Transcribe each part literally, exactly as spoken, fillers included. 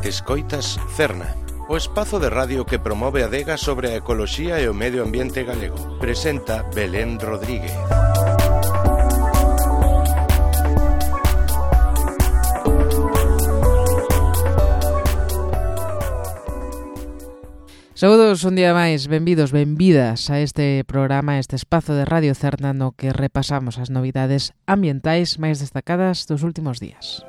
Escoitas Cerna, o espazo de radio que promove a adega sobre a ecoloxía e o medio ambiente galego. Presenta Belén Rodríguez. Saúdos un día máis, benvidos, benvidas a este programa, a este espazo de Radio Cerna no que repasamos as novidades ambientais máis destacadas dos últimos días.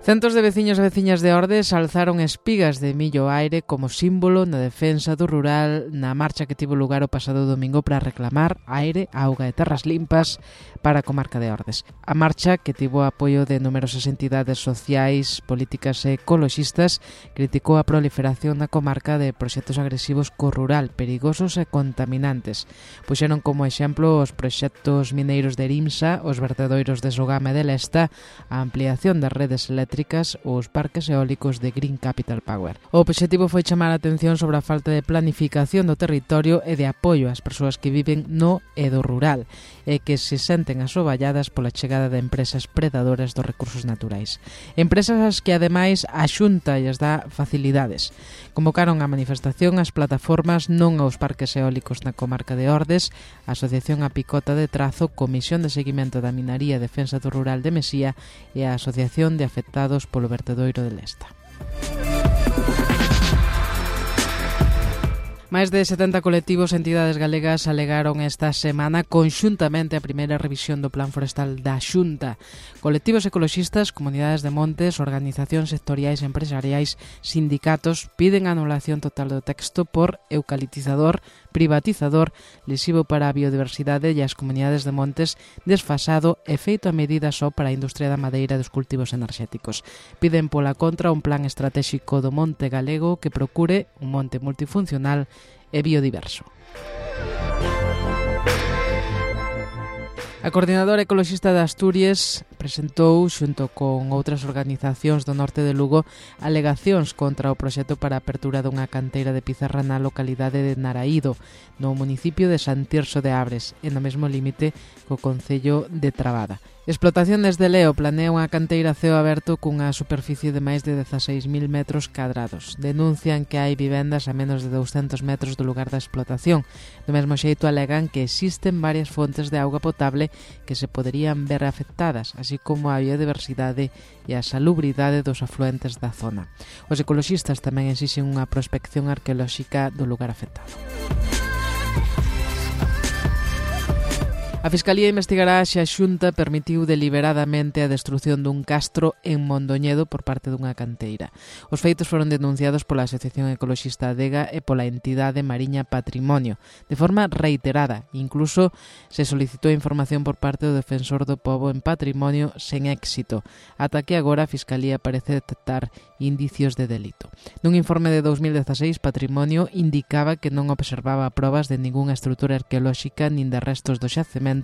Centos de veciños e veciñas de Ordes alzaron espigas de millo ao aire como símbolo na defensa do rural na marcha que tivo lugar o pasado domingo para reclamar aire, auga e terras limpas para a comarca de Ordes. A marcha, que tivo apoio de numerosas entidades sociais, políticas e ecoloxistas, criticou a proliferación na comarca de proxectos agresivos co rural, perigosos e contaminantes. Puxeron como exemplo os proxectos mineiros de Erimsa, os vertedoiros de Sogama e de Lesta, a ampliación das redes eléctricas ou os parques eólicos de Green Capital Power. O obxectivo foi chamar a atención sobre a falta de planificación do territorio e de apoio ás persoas que viven no e do rural e que se senten asoballadas pola chegada de empresas predadoras dos recursos naturais. Empresas as que ademais a Xunta lles dá facilidades. Convocaron a manifestación as plataformas non aos parques eólicos na comarca de Ordes, a Asociación A Picota de Trazo, Comisión de Seguimento da Minaría e Defensa do Rural de Mesía e a Asociación de Afectados polo vertedoiro de Lesta. Máis de setenta colectivos e entidades galegas alegaron esta semana conxuntamente a primeira revisión do Plan Forestal da Xunta. Colectivos ecoloxistas, comunidades de montes, organizacións sectoriais e empresariais, sindicatos piden a anulación total do texto por eucaliptizador, privatizador, lesivo para a biodiversidade e as comunidades de montes, desfasado e feito a medida só para a industria da madeira e dos cultivos enerxéticos. Piden pola contra un plan estratéxico do monte galego que procure un monte multifuncional e biodiverso. A Coordinadora Ecoloxista de Asturias presentou, xunto con outras organizacións do norte de Lugo, alegacións contra o proxecto para a apertura dunha canteira de pizarra na localidade de Naraído, no municipio de San Tirso de Abres, e no mesmo límite co concello de Trabada. Explotaciones de Leo planea unha canteira a ceo aberto cunha superficie de máis de dezaseis mil metros cadrados. Denuncian que hai vivendas a menos de douscentos metros do lugar da explotación. Do mesmo xeito alegan que existen varias fontes de auga potable que se poderían ver afectadas, así como a biodiversidade e a salubridade dos afluentes da zona. Os ecoloxistas tamén exixen unha prospección arqueolóxica do lugar afectado. A Fiscalía investigará se a Xunta permitiu deliberadamente a destrución dun castro en Mondoñedo por parte dunha canteira. Os feitos foron denunciados pola Asociación Ecoloxista Adega e pola entidade Mariña Patrimonio, de forma reiterada. Incluso se solicitou información por parte do Defensor do Pobo en Patrimonio sen éxito, ata que agora a Fiscalía parece detectar indicios de delito. Nun informe de dous mil dezaseis, Patrimonio indicaba que non observaba probas de ningunha estrutura arqueolóxica nin de restos do xacemento,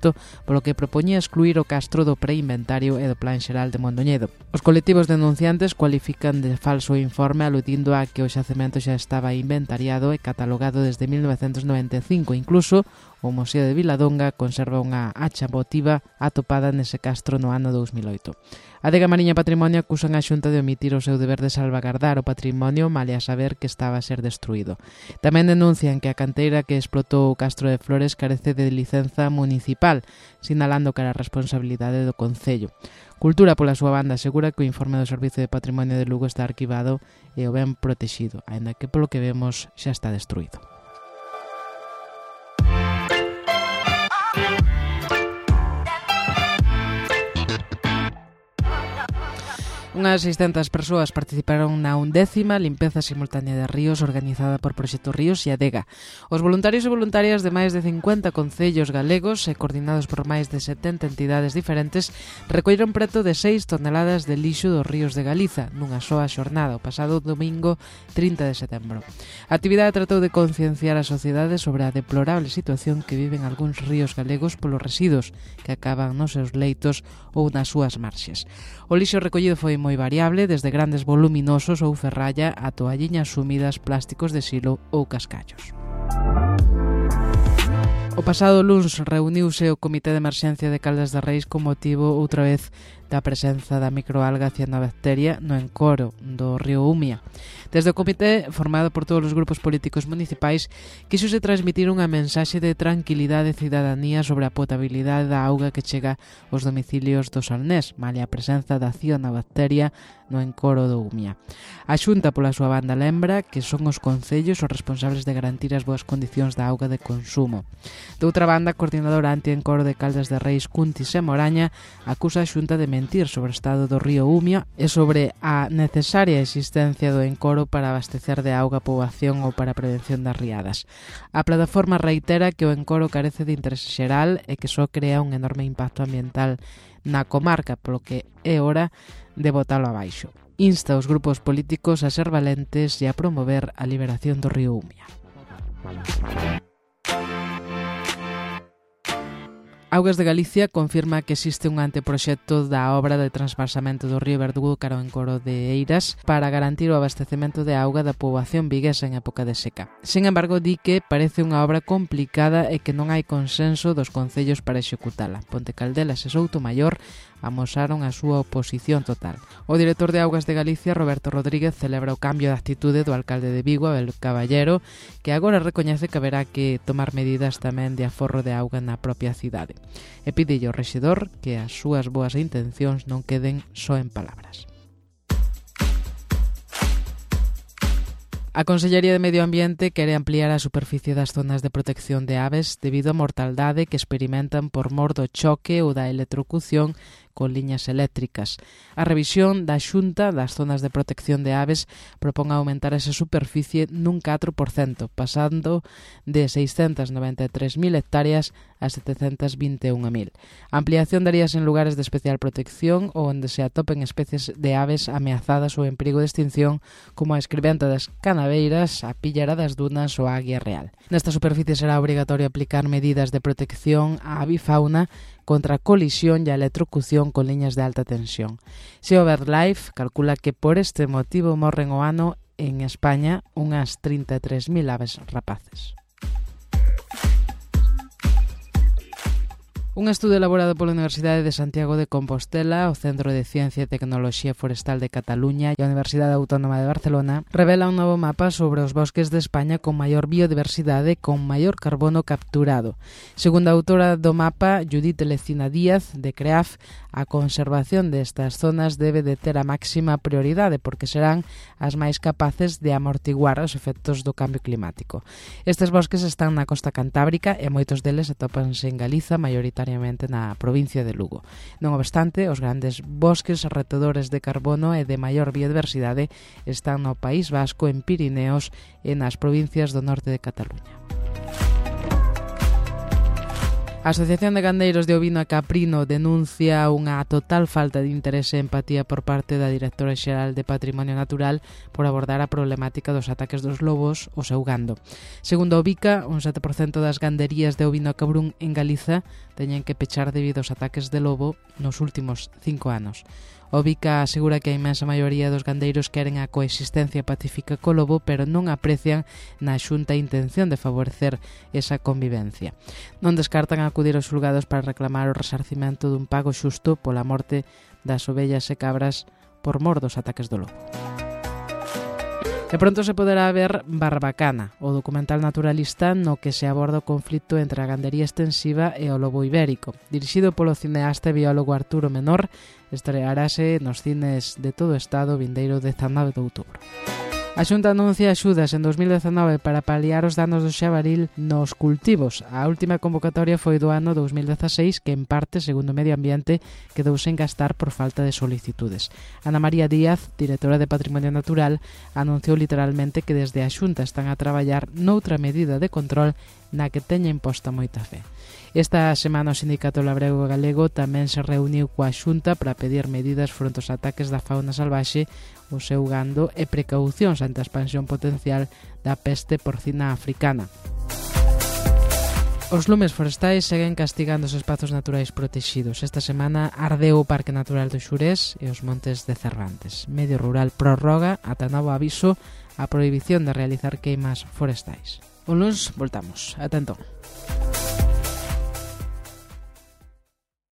polo que propoñía excluir o castro do preinventario e do Plan Xeral de Mondoñedo. Os colectivos denunciantes cualifican de falso o informe aludindo a que o xacemento xa estaba inventariado e catalogado desde mil novecentos noventa e cinco. Incluso o Museo de Viladonga conserva unha hacha votiva atopada nese castro no ano dous mil oito. A Adega Mariña Patrimonio acusan a Xunta de omitir o seu deber de salvagardar o patrimonio malia saber que estaba a ser destruído. Tamén denuncian que a canteira que explotou o Castro de Flores carece de licenza municipal, sinalando que era a responsabilidade do Concello. Cultura, pola súa banda, asegura que o informe do Servizo de Patrimonio de Lugo está arquivado e o ben protexido, aínda que polo que vemos xa está destruído. Unhas seiscentas persoas participaron na undécima limpeza simultánea de ríos organizada por Proxecto Ríos e Adega. Os voluntarios e voluntarias de máis de cincuenta concellos galegos e coordinados por máis de setenta entidades diferentes recolleron preto de seis toneladas de lixo dos ríos de Galiza nunha soa xornada o pasado domingo trinta de setembro. A actividade tratou de concienciar a sociedade sobre a deplorable situación que viven algúns ríos galegos polos residuos que acaban nos seus leitos ou nas súas marxes. O lixo recollido foi moi variable, desde grandes voluminosos ou ferralla a toalliñas húmidas, plásticos de silo ou cascallos. O pasado luns reuniuse o Comité de Emerxencia de Caldas de Reis con motivo, outra vez, da presenza da microalga cianobacteria no encoro do río Umia. Desde o comité, formado por todos os grupos políticos municipais, quixose transmitir unha mensaxe de tranquilidade e cidadanía sobre a potabilidade da auga que chega aos domicilios do Salnés, malia a presenza da cianobacteria no encoro do Umia. A Xunta, pola súa banda, lembra que son os concellos os responsables de garantir as boas condicións da auga de consumo. Doutra banda, a coordinadora anti-encoro de Caldas de Reis, Cuntis e Moraña, acusa a Xunta de mentir sobre o estado do río Umia e sobre a necesaria existencia do encoro para abastecer de auga a poboación ou para a prevención das riadas. A plataforma reitera que o encoro carece de interese xeral e que só crea un enorme impacto ambiental na comarca, polo que é hora de botalo abaixo. Insta os grupos políticos a ser valentes e a promover a liberación do río Umia. Augas de Galicia confirma que existe un anteproxecto da obra de transvasamento do río Verdugo cara ao encoro de Eiras para garantir o abastecemento de auga da poboación viguesa en época de seca. Sin embargo, di que parece unha obra complicada e que non hai consenso dos concellos para executala. Ponte Caldelas e Soutomaior amosaron a súa oposición total. O director de Augas de Galicia, Roberto Rodríguez, celebra o cambio de actitude do alcalde de Vigo, Abel Caballero, que agora recoñece que haberá que tomar medidas tamén de aforro de auga na propia cidade. E pide ao rexedor que as súas boas intencións non queden só en palabras. A Consellería de Medio Ambiente quere ampliar a superficie das zonas de protección de aves debido á mortaldade que experimentan por mor do choque ou da electrocución con liñas eléctricas. A revisión da Xunta das zonas de protección de aves propón aumentar esa superficie nun catro por cento, pasando de seiscentas noventa e tres mil hectáreas a setecentas vinte e un mil. A ampliación daríase en lugares de especial protección ou onde se atopen especies de aves ameazadas ou en perigo de extinción, como a escribenta das canaveiras, a píllara das dunas ou a águia real. Nesta superficie será obrigatorio aplicar medidas de protección á avifauna contra a colisión e a electrocución con liñas de alta tensión. Sea BirdLife calcula que por este motivo morren o ano en España unhas trinta e tres mil aves rapaces. Un estudo elaborado pola Universidade de Santiago de Compostela, o Centro de Ciencia e Tecnoloxía Forestal de Cataluña e a Universidade Autónoma de Barcelona revela un novo mapa sobre os bosques de España con maior biodiversidade e con maior carbono capturado. Segundo a autora do mapa, Judith Lecina Díaz, de CREAF, a conservación destas zonas debe de ter a máxima prioridade porque serán as máis capaces de amortiguar os efectos do cambio climático. Estes bosques están na costa cantábrica e moitos deles atópanse en Galiza, maioritariamente na provincia de Lugo. Non obstante, os grandes bosques retedores de carbono e de maior biodiversidade están no País Vasco, en Pirineos e nas provincias do norte de Cataluña. A Asociación de Gandeiros de Ovino e Caprino denuncia unha total falta de interese e empatía por parte da Directora Xeral de Patrimonio Natural por abordar a problemática dos ataques dos lobos ao seu gando. Segundo o Bica, un sete por cento das ganderías de ovino e cabrún en Galiza teñen que pechar debido aos ataques de lobo nos últimos cinco anos. O Bica asegura que a inmensa maioría dos gandeiros queren a coexistencia pacífica co lobo, pero non aprecian na Xunta a intención de favorecer esa convivencia. Non descartan acudir aos xulgados para reclamar o resarcimento dun pago xusto pola morte das ovellas e cabras por mor dos ataques do lobo. E pronto se poderá ver Barbacana, o documental naturalista no que se aborda o conflito entre a gandería extensiva e o lobo ibérico. Dirixido polo cineasta e biólogo Arturo Menor, estrearase nos cines de todo o estado vindeiro dezanove de outubro. A Xunta anuncia axudas en dos mil dezanove para paliar os danos do xabaril nos cultivos. A última convocatoria foi do ano dos mil dezaseis, que en parte, segundo Medio Ambiente, quedou sen gastar por falta de solicitudes. Ana María Díaz, directora de Patrimonio Natural, anunciou literalmente que desde a Xunta están a traballar noutra medida de control na que teña imposta moita fe. Esta semana o Sindicato Labrego Galego tamén se reuniu coa Xunta para pedir medidas fronte aos ataques da fauna salvaxe, o seu gando e precaucións ante a expansión potencial da peste porcina africana. Os lumes forestais seguen castigando os espazos naturais protexidos. Esta semana ardeu o Parque Natural do Xurés e os Montes de Cervantes. Medio Rural prorroga ata novo aviso a prohibición de realizar queimas forestais. Un luns voltamos. Ata entón.